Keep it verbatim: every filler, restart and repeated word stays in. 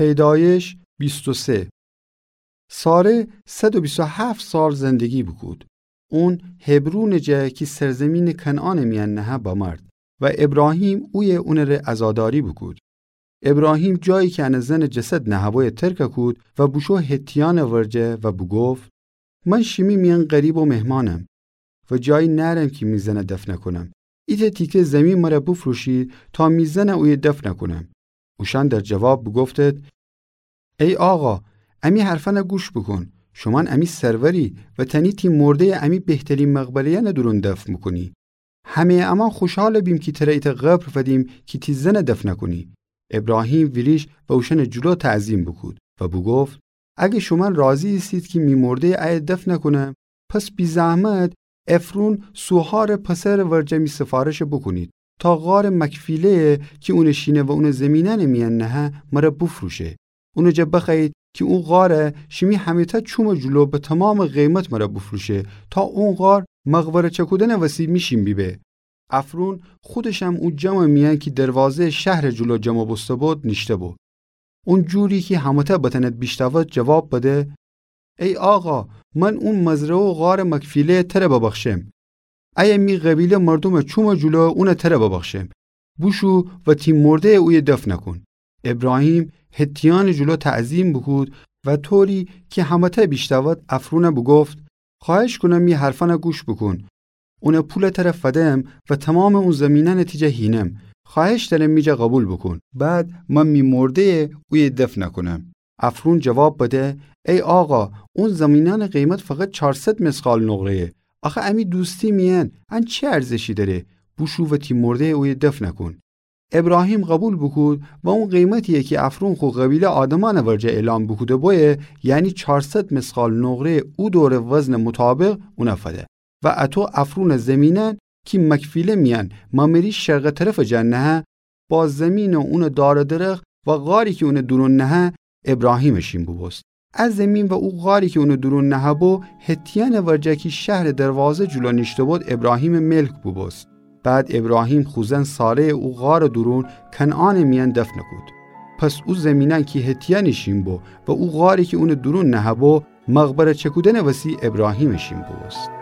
پیدایش بیست و سه. ساره صد و بیست و هفت سال زندگی بوکود. اون حبرونٚ جا کی سرزمینٚ کنعانٚ میأن نهه بمرد و ابراهیم اویه اونٚره عزاداری بوکود. ابراهیم جایی کی انٚ زنٚ جسد نهه‌بویه ترک کود و بوشو حتیأنٚ ورجه و بوگفت: من شیمی میأن غریب و مهمانم و جایی نأرم کی می زن دفن کونم. ایتأ تیکه زیمین مر بوفروشید تا می زن اویه دفن کونم. اوشأن در جواب بوگفتید: ای آقا، امی حرفأن گوش بوکون. شومأن امی سروری و تأنی تی مرده‌یه امی بهترین مقبره‌یأنٚ دورون دفن بوکونی. همه‌یٚ امأن خوشحال بیم کی تر ایتأ قبر فدیم کی تی زن دفن کونی. ابراهیم ویریشت و اوشأنٚ جلو تعظیم بوکود و بوگفت: اگر شومأن راضی ایسید کی می مرده‌یه ایه دفن کونم، پس بی‌زحمت افرون سوهارٚ پسرٚ ورجه می سفارش بوکونید تا غارٚ مکفیله‌یه کی اونٚ شینه و اونٚ زیمینأنٚ میأن نهه مر بوفروشه. اونٚ جا بخوأیید کی او غار شیمی همه‌تأ چومٚ جلو به تومامٚ قیمت مر بوفروشه تا او غار مقبره چکودنٚ وسی می شین بیبه. افرون خودشم او جمعٚ میأن کی دروازه‌یٚ شهرٚ جلو جمع بوسته‌بود نیشته‌بو. اون جوری کی همه‌تأ بتأند بیشنود جواب بده: ای آقا، من اون مزرعه و غارٚ مکفیله‌یه تر ببخشم. ایه می قبیله مردومٚ چومٚ جلو اون تر ببخشم. بوشو و تی مرده‌یه اویه دفن کون. ابراهیم حتیأنٚ جلو تعظیم بوکود و طوری کی همه‌تأ بیشنود افرون بوگفت: خواهش کونم می حرفأن گوش بوکون. اون پول تر فدم و تومامٚ اون زیمینأن تی جا هینم. خواهش دأرم می جا قبول بوکون. بعد من می مرده‌یه اویه دفن کونم. افرون جواب بده: ای آقا، اون زیمینأنٚ قیمت فقط چارصد مثقال نقره‌یه. آخه امی دوستی میأن ان چی ارزشی دأره؟ بوشو و تی مرده‌یه اویه دفن کون. ابراهیم قبول بوکود و اون قیمتی‌یه کی افرون خو قبیله آدمأنٚ ورجه اعلام بوکوده‌بویه، یعنی چارصد مثقال نقره‌یٚ او دورٚ وزنٚ مطابق اون فده. و اطو افرونٚ زیمینأن کی مکفیله میأن ممری شرقٚ طرفٚ جا نهه، با زیمین و اونٚ دار و درخت و غاری کی اونٚ دورون نهه، ابراهیمٚ شین بوبوست. ا زیمین و او غاری کی اونٚ دورون نهه‌بو، حتیأنٚ ورجه کی شهرٚ دروازه جلو نیشته‌بود، ابراهیمٚ ملک بوبوست. بعد ابراهیم خو زن ساره‌یه او غارٚ دورون کنعانٚ میأن دفن کود. پس او زیمینأن کی حتیأنٚ شین بو و او غاری کی اونٚ دورون نهه‌بو، مقبره چکودنٚ وسی ابراهیمٚ شین بوبوست.